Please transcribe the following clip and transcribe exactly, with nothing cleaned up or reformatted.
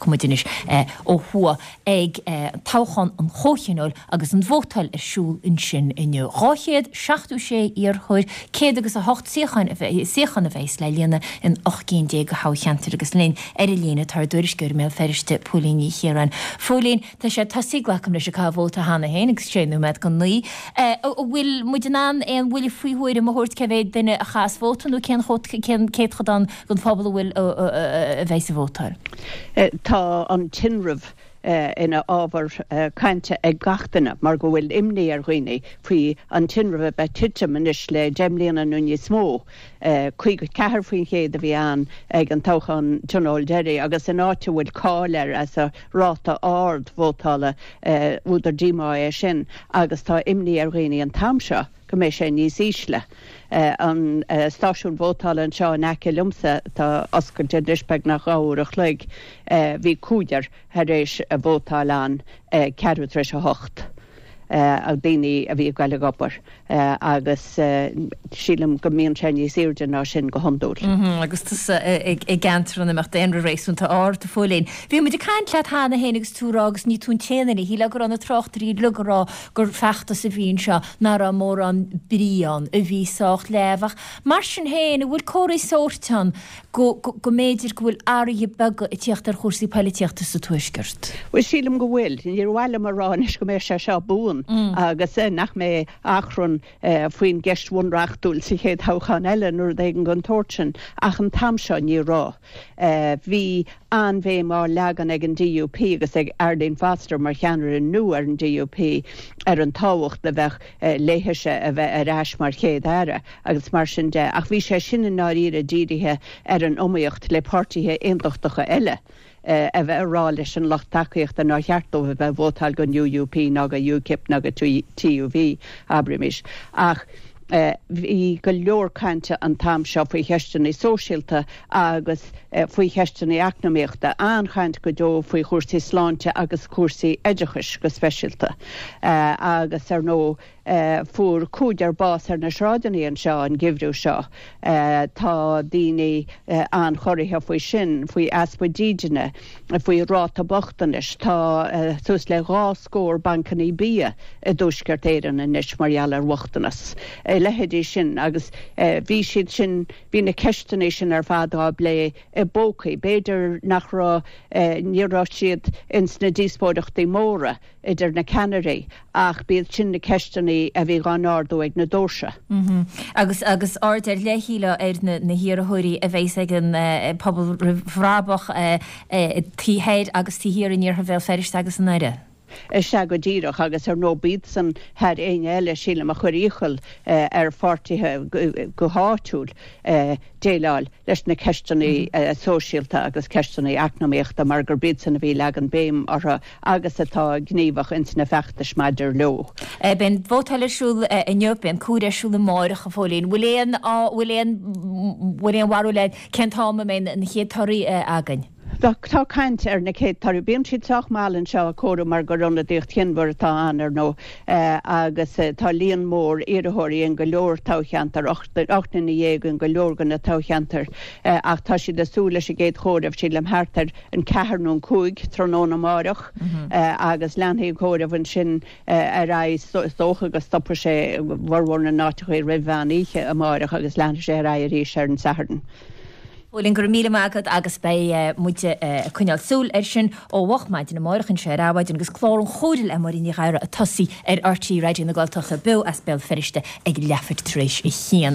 Tiocfaidh muid anois ó thuaidh ag toghchán an Chomhthionóil agus an vótáil ar siúl ansin inniu. Dhá chéad seachtó sé iarrthóir, céad agus a hocht suíochán a bheidh suíochán a bheas le líonadh in ocht gcinn déag de thoghcheantair agus linn ar an líne tá ár dtuairisceoir i mBéal Feirste, Póilín Ní Chiaráin. Phóilín, tá sé tosaithe, glacaim leis, ag caitheamh vóta cheana féin agus sé nóiméad go naoi. An bhfuil muid in ann aon bhuille faoi thuairim a thabhairt cé mhéad duine a chaitheas vóta nó cén cén céatadán den phobal a bhfuil a bheas ag vótáil? Tá an tinreamh ina ábhar cainte ag gach duine mar go bhfuil imní ar dhaoine faoi an tinreamh a bheith titim anois le deich mbliana nó níos mó. Caoga ceathair faoin chéad a bhí ann ag an toghchán tionóil deiridh agus in áit a bhfuil cáil air as a ráta ard vótála, údar díomá é sin agus tá imní ar dhaoine an t-am seo go mbeidh sé níos ísle. An stáisiún vótála anseo in aice liomsa, atá oscailte anois beagnach dhá uair a chloig, bhí cúigear tar éis vótáil ann ceathrú tar éis a hocht, daoine a bhí ag goil ag obair agus sílim go mbíonn sé níos airde ná sin go hiondúil. Agus tusa i gceantar ina mbeadh daonra réasúnta ard, a Phóilín. Bhí muid ag caint leat cheana féin agus tú ag rá agus ní tú an t-aon duine, shílfeá go raibh na tráchtairí uilig ag rá gur feachtas a bhí anseo nach raibh mórán brí ann, a bhí sách leamh. Ach mar sin féin, an bhfuil comharthaí sóirt ann go go mb'fhéidir go bhfuil athruithe beaga ag tíocht ar chúrsaí poilitíochta sa Tuaisceart? Bhuel, sílim go bhfuil. Níor mhaith liom a rá anois go mbeidh sé seo buan agus nach mbeidh achrann faoin gceist bhunreachtúil sa chéad thoghchán eile nó rud éigin den tsórt sin, ach an t-am seo ní raibh. Bhí an-bhéim á leagan ag an D U P agus ag Arlene Foster mar cheannaire nua ar an D U P ar an tábhacht a bheadh léithise a bheith ar ais mar Chéad-Aire agus mar sin de, ach bhí sé sin i ndáiríre dírithe ar an iomaíocht le páirtithe aontachtacha eile a bheith ag rá leis an lucht tacaíochta nár cheart dóibh a bheith ag vótáil don U U P ná do UKIP ná do T U V, abraimis. Ach bhí go leor cainte an t-am seo faoi cheisteanna sóisialta agus faoi cheisteanna eacnamaíochta, an-chaint go deo faoi chúrsaí sláinte agus cúrsaí oideachais go speisialta. Agus ar ndóigh fuair cúigear bás ar na sráideanna anseo an geimhreadh seo. Tá daoine an-chorraithe faoi sin, faoi easpa dídine, faoi ráta bochtanais. Tá suas le dhá scór bancanna bia i dTuaisceart Éireann anois mar gheall ar bhochtanas. A leithéidí sin agus bhí siad sin, bhí na ceisteanna sin ar fad á bplé i bpócaí. B'fhéidir nach raibh, ní raibh siad ins na díospóireachtaí móra idir na ceannairí ach b'iad sin na ceisteanna a bhí á n-ardú ag na doirse. Agus agus aird ar leith, shílfeá, ar na na hiarrthóirí a bheas ag an Pobal Roimh Bhrabach taobh thoir agus taobh thiar in iarthar Bhéal Feirste agus i nDoire. Is ea go díreach, agus ar ndóigh b'iadsan thar éinne eile, sílim, a chuir iachall ar pháirtithe go háitiúil déileáil leis na ceisteanna sóisialta agus ceisteanna eacnamaíochta mar gurb iadsan a bhí ag leagan béim orthu agus atá gníomhach ins na feachtais maidir leo. Beidh an vótáil ar siúl inniu, beidh an comhaireamh ar siúl amáireach, a Phóilín. Bhfuil aon, bhfuil aon, bhfuil aon bharúil agat cén t-am a mbeidh na chéad torthaí againn? Tá caint ar na chéad torthaí. Bíonn siad sách mall anseo ag comhaireamh mar gur ionadaíocht chionmhar atá ann, ar ndóigh, agus tá líon mór iarrthóirí in go leor toghcheantar, ocht nduine dhéag in go leor de na toghcheantair, ach tá siad ag súil leis an gcéad chomhaireamh, sílim, thart ar an ceathair nó an cúig tráthnóna amáireach, agus leanfaidh an comhaireamh ansin ar aghaidh. Is dócha go stopfaidh sé i bhformhór na n-áiteacha roimh mheán oíche amáireach agus leanfaidh sé ar aghaidh arís ar an Satharn. Póilín, go raibh míle maith agat agus beidh muid ag coinneáil súil air sin ó mhoch maidin amáireach anseo ar Adhmhaidin agus clár an Chomhairimh le Máirín Ní Ghadhra ag tosaí ar R T É Raidió na Gaeltachta beo as Béal Feirste ag leathuair tar éis a haon.